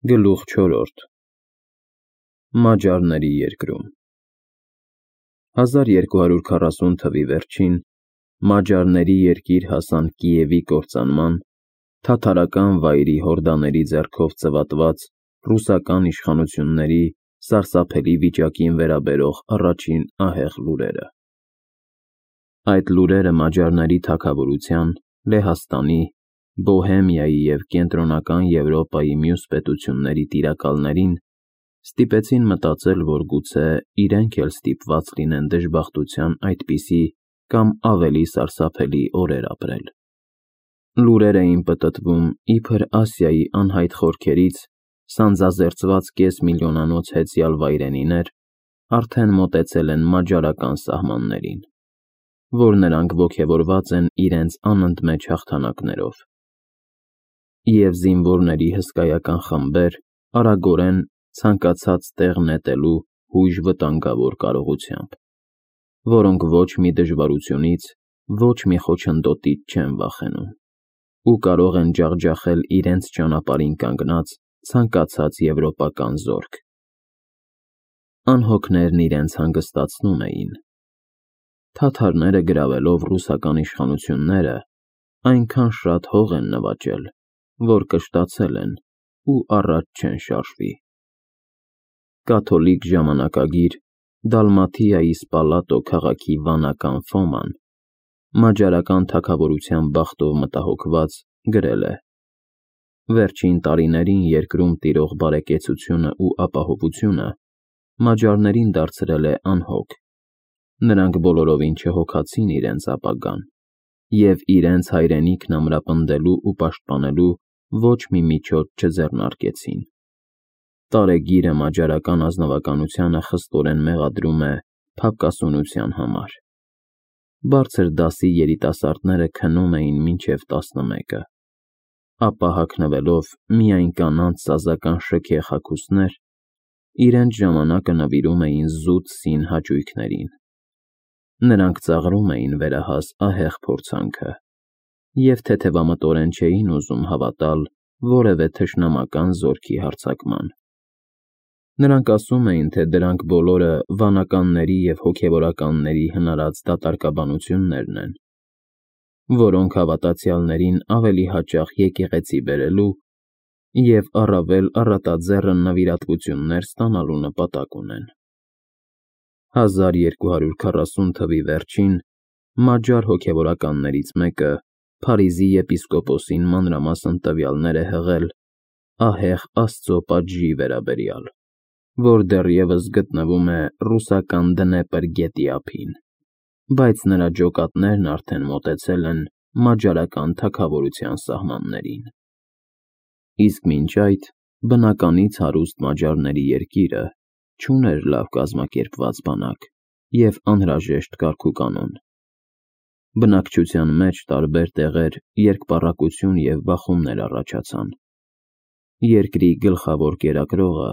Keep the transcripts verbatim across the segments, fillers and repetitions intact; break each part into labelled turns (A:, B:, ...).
A: Գլուխ չորրորդ Մաջարների երկրում հազար երկու հարյուր քառասուն թվականի վերջին Մաջարների երկիր հասան Կիևի կործանման, թաթարական վայրի հորդաների ձեռքով ծվատված ռուսական իշխանությունների սարսափելի վիճակին վերաբերող առաջին ահեղ լուրերը։ Այդ լուրերը Մաջարների թագավորության, Լեհաստանի, Բոհեմիայի և Կենտրոնական Եվրոպայի մյուս պետությունների տիրակալներին ստիպեցին մտածել, որ գուցե իրենք էլ ստիպված լինեն դժբախտության այդպիսի կամ ավելի սարսափելի օրեր ապրել։ Լուրեր էին պտտվում իբր Ասիայի անհայտ խորքերից սանձազերծված կեսմիլիոնանոց հեծյալ վայրենիներ արդեն մոտեցել են մաջարական սահմաններին, որ նրանք ոգևորված են իրենց անընդմեջ հաղթանակներով, և զինվորների հսկայական խմբեր արագորեն ցանկացած տեղ նետելու հույժ վտանգավոր կարողությամբ, որոնք ոչ մի դժվարությունից, ոչ մի խոչընդոտից չեն վախենում ու կարող են ջախջախել իրենց ճանապարհին կանգնած ցանկացած եվրոպական զորք։ Անհոգներն իրենց հանգստացնում էին. թաթարները գրավելով ռուսական իշխանությունները այնքան շատ հող են նվաճել, որ կշտացել են ու առաջ չեն շարժվի։ Կաթոլիկ ժամանակագիր Դալմաթիայի Սպալատո քաղաքի վանական Ֆոման մաջարական թագավորության բախտով մտահոգված գրել է. «Վերջին տարիներին երկրում տիրող բարեկեցությունն ու ապահովությունը մաջարներին դարձրել է անհոգ, նրանք բոլորովին չհոգացին իրենց ապագան և իրենց հայրենիքն ամրապնդելու ու պաշտպանելու ոչ մի միջոց չձեռնարկեցին։ Տարեգիրը մաջարական ազնվականությանը խստորեն մեղադրում է փափկասունության համար։ Բարձր դասի երիտասարդները քնում էին մինչև տասնմեկը, ապա հագնվելով միայն կանանց սազական շքեղ հագուստներ, իրենց ժամանակը նվիրում էին զուտ սին հաճույքներին։ Նրանք ծաղրում էին վերահաս ահեղ փորձանքը և թեթևամտորեն չէին ուզում հավատալ որևէ թշնամական զորքի հարձակման։ Նրանք ասում էին, թե դրանք բոլորը վանականների և հոգևորականների հնարած դատարկաբանություններն են, որոնք հավատացյալներին ավելի հաճախ եկեղեցի բերելու և առավել առատաձեռն նվիրատվություններ ստանալու նպատակ ունեն։ հազար երկու հարյուր քառասուն թվականի վերջին մաջար հոգևորականներից մեկը Փարիզի եպիսկոպոսին մանրամասն տվյալներ է հղել ահեղ Աստծո պատժի վերաբերյալ, որ դեռևս գտնվում է ռուսական Դնեպր գետի ափին, բայց նրա ջոկատներն արդեն մոտեցել են մաջարական թագավորության սահմաններին։ Իսկ մինչ այդ բնականից հարուստ Մաջարների երկիրը չուներ լավ կազմակերպված բանակ և անհրաժեշտ կարգուկանոն։ Բնակչության մեջ տարբեր տեղեր երկպառակություն և բախումներ առաջացան։ Երկրի գլխավոր կերակրողը,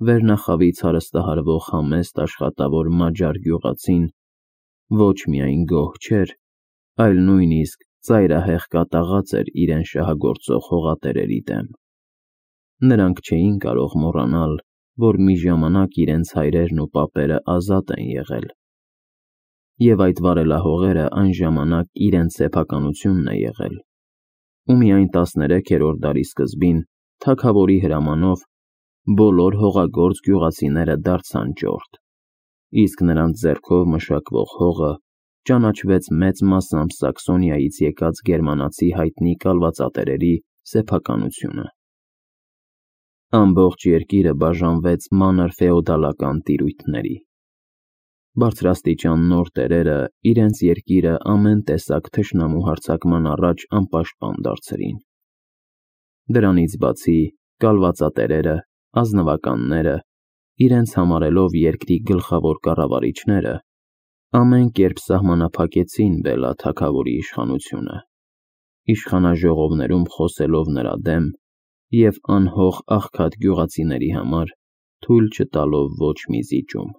A: վերնախավից հարստահարվող համեստ աշխատավոր մաջար գյուղացին ոչ միայն գոհ չէր, այլ նույնիսկ ծայրահեղ կատաղած էր իրեն շահագործող հողատերերի դեմ։ Նրանք չէին կարող մոռանալ, որ մի ժամանակ իրենց հայրերն ու պապերը ազատ են եղել, և այդ վարելահողերը այն ժամանակ իրենց սեփականությունն է եղել, ու միայն տասներեքերորդ դարի սկզբին թագավորի հրամանով բոլոր հողագործ գյուղացիները դարձան ճորտ, իսկ նրանց ձեռքով մշակվող հողը ճանաչվեց մեծ մասամբ Սաքսոնիայից եկած գերմանացի հայտնի կալվածատերերի սեփականությունը։ Ամբողջ երկիրը բաժանվեց մանր ֆեոդալական տիրույթների։ Բարձրաստիճան նոր տերերը իրենց երկիրը ամեն տեսակ թշնամու հարձակման առաջ անպաշտպան դարձրին։ Դրանից բացի կալվածատերերը, ազնվականները, իրենց համարելով երկրի գլխավոր կառավարիչները, ամեն կերպ սահմանափակեցին Բելա թագավորի իշխանությունը, իշխանաժողովներում խոսելով նրա դեմ և անհող աղքատ գյուղացիների համար թույլ չտալով ոչ մի զիջում։